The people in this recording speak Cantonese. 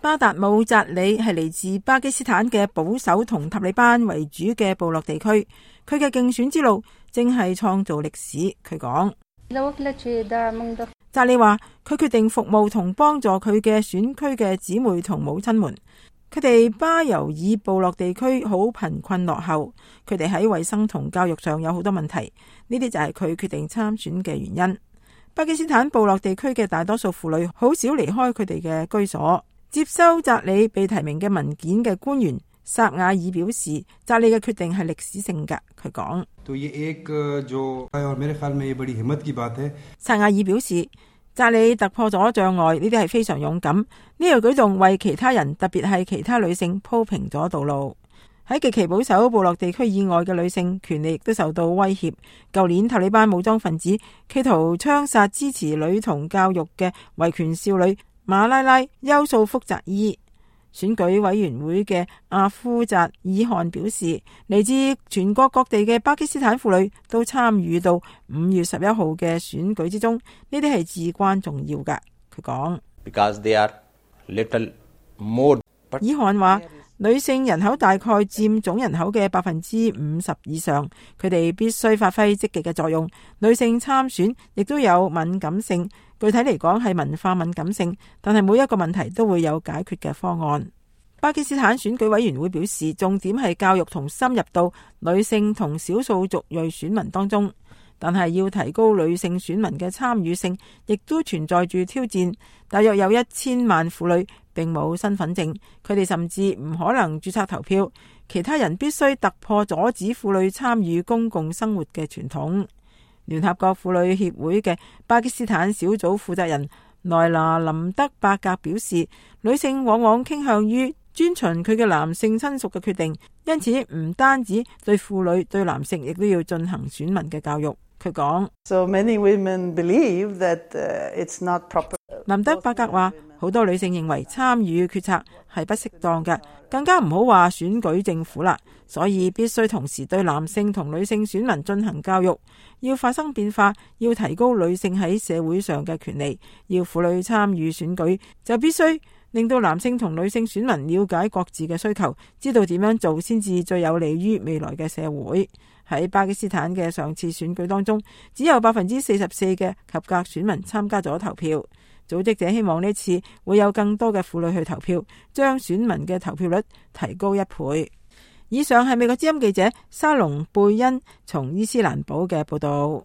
巴達姆扎里係嚟自巴基斯坦嘅保守同塔利班為主嘅部落地區，佢嘅競選之路正係創造歷史。佢講，扎里話佢決定服務同幫助佢嘅選區嘅姊妹同母親們。佢哋巴尤爾部落地區好貧困落後，佢哋喺衛生同教育上有好多問題，呢啲就係佢決定參選嘅原因。巴基斯坦部落地區嘅大多數婦女好少離開佢哋嘅居所。接收扎里被提名嘅文件嘅官員薩瓦爾表示，扎里嘅決定係歷史性㗎。佢講，薩瓦爾表示，扎里突破咗障礙，呢啲係非常勇敢。呢個舉動為其他人，特別係其他女性鋪平咗道路。喺極其保守部落地區以外嘅女性權利亦都受到威脅。舊年塔利班武裝分子企圖槍殺支持女童教育嘅維權少女馬拉拉優素福扎伊。選舉委員會嘅阿夫扎爾汗表示，嚟自全國各地嘅巴基斯坦婦女都參與到5月11號嘅選舉之中，呢啲係至關重要㗎。佢講，爾汗話，女性人口大概佔總人口嘅50%以上，佢哋必須發揮積極嘅作用。女性參選亦都有敏感性，具體嚟講係文化敏感性，但係每一個問題都會有解決嘅方案。巴基斯坦選舉委員會表示，重點係教育同深入到女性同少數族裔選民當中，但係要提高女性選民嘅參與性，亦都存在住挑戰。大約有1000萬婦女並冇身份證，佢哋甚至唔可能註冊投票。其他人必須突破阻止婦女參與公共生活嘅傳統。聯合國婦女協會嘅巴基斯坦小組負責人萊娜林德伯格表示，女性往往傾向於遵循佢嘅男性親屬嘅決定，因此唔單止對婦女，對男性亦都要進行選民嘅教育。佢講，林德伯格話，好多女性認為參與決策係不適當嘅，更加唔好話選舉政府啦。所以必須同時對男性同女性選民進行教育，要發生變化，要提高女性喺社會上嘅權利，要婦女參與選舉，就必須令到男性同女性選民了解各自嘅需求，知道點樣做先至最有利於未來嘅社會。喺巴基斯坦嘅上次選舉當中，只有44%嘅合格選民參加咗投票。組織者希望呢次會有更多嘅婦女去投票，將選民嘅投票率提高1倍。以上係美國之音記者沙龍貝恩從伊斯蘭堡嘅報道。